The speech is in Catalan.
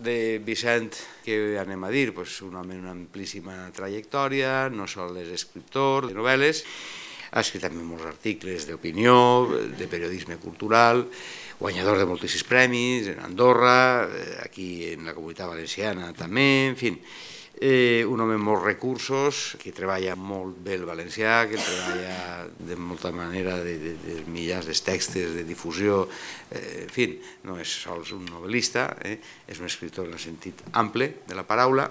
De Vicent, què anem a dir? Un home amb una amplíssima trajectòria, no sol és escriptor de novel·les, ha escrit també molts articles d'opinió, de periodisme cultural, guanyador de moltíssims premis, en Andorra, aquí en la Comunitat Valenciana també, en fi, un home amb molts recursos, que treballa molt bé el valencià, que treballa de molta manera de mitjans de textos, de difusió, en fi, no és sols un novel·lista, és un escriptor en el sentit ample de la paraula,